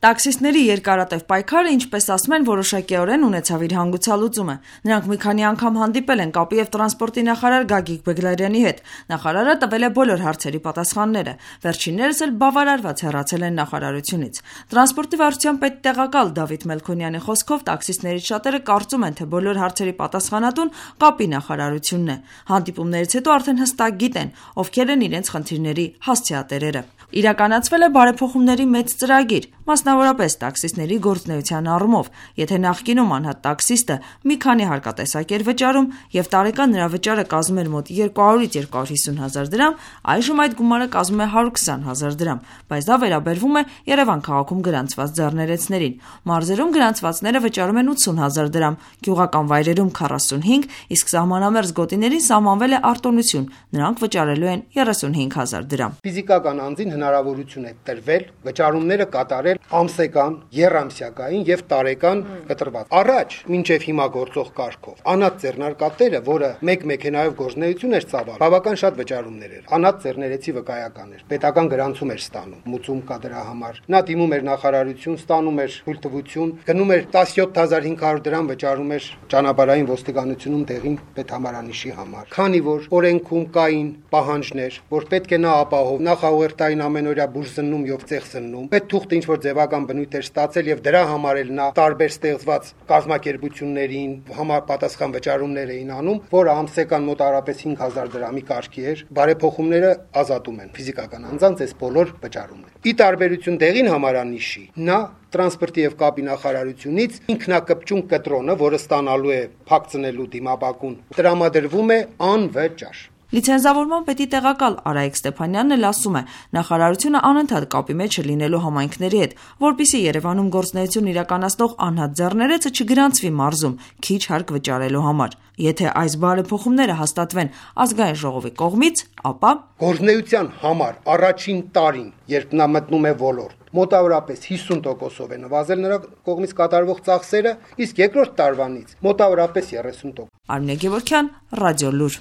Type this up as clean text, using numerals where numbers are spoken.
Տաքսիստների երկարատև պայքարը, ինչպես ասում են, որոշակիորեն ունեցավ իր հանգուցալուծումը։ Նրանք մի քանի անգամ հանդիպել են կապի և տրանսպորտի նախարար Գագիկ Բեգլարյանի հետ։ Նախարարը տվել է բոլոր հարցերի պատասխանները։ Վերջիններս էլ բավարարված հեռացել են նախարարությունից։ Տրանսպորտի վարչության պետտեղակալ Դավիթ Մելքոնյանի խոսքով տաքսիստներից շատերը կարծում են, թե բոլոր հարցերի պատասխանատուն կապի նախարարությունն է։ Հանդիպումներից հետո արդեն հստակ գիտեն, ովքեր են իրենց խնդիրների հասցեատերերը։ Իրականացվել է բարեփոխումների մեծ ծրագիր, մասնավորապես տաքսիստների գործունեության առումով։ Եթե նախկինում անհատ տաքսիստը մի քանի հարկատեսակ էր վճարում եւ տարեկան նրա վճարը կազմում էր մոտ 200-ից 250 հազար դրամ, այժմ այդ գումարը կազմում է 120 հազար դրամ, բայց դա վերաբերվում է Երևան քաղաքում գրանցված ձեռներեցներին։ Մարզերում գրանցվածները վճարում են 80 հազար դրամ, գյուղական վայրերում 45, իսկ սահմանամերձ գոտիներին սահմանվել է արտոնություն, նրանք վճարելու են 35 հազար դրամ։ Ֆիզիկական անձին հնարավորություն է տրվել վճարումները կատարել ամսական, եռամսյակային եւ տարեկան կտրված։ Առաջ, մինչեւ հիմա գործող կարգով, անհատ ձեռնարկատերը, որը մեկ մեքենայով գործունեություն էր ծավալ, բավական շատ վճարումներ էր։ Անհատ ձեռներեցի վկայական էր։ Պետական գրանցում էր ստանում, մուծում կա դրա համար։ Նա դիմում էր նախարարություն, ստանում էր թույլտվություն, գնում էր 17500 դրամ վճարում էր ճանապարհային ոստիկանությունում տեղին պետհամարանիշի համար։ Քանի որ օրենքում կային պահանջներ, որ պետք է նա ապահով նախաուղերձային ամենօրյա բուժզննում եւ ծեղսննում, պետթուղթը ինչ որ ձևական բնույթ էր ստացել եւ դրա համար էլ նա տարբեր ստեղծված կազմակերպություններին համապատասխան վճարումներ էին անում, որը ամսական մոտավորապես 5000 դրամի կարգի էր։ Բարեփոխումները ազատում են ֆիզիկական անձանց այս բոլոր վճարումները։ Ի տարբերություն տեղին համարանիշի, նա տրանսպորտի եւ կապի նախարարությունից ինքնակպճուն կտրոնը, որը ստանալու է փակցնելու դիմապակուն, տրամադրվում է անվճար։ Լիցենզավորման պետի տեղակալ Արայիկ Ստեփանյանն էլ ասում է, նախարարությունը անընդհատ կապի մեջ է լինելու համայնքների հետ, որպեսզի Երևանում գործունեություն իրականացնող անհատ ձեռներեցը չգրանցվի մարզում քիչ հարկ վճարելու համար։ Եթե այս բարեփոխումները հաստատվեն ազգային ժողովի կողմից, ապա գործունեության համար առաջին տարին, երբ նա մտնում է ոլորտ, մոտավորապես 50%-ով է նվազել նրա կողմից կատարվող ծախսերը, իսկ երկրորդ տարվանից մոտավորապես 30%։ Արմինե Գևորգյան, Ռադիոլուր։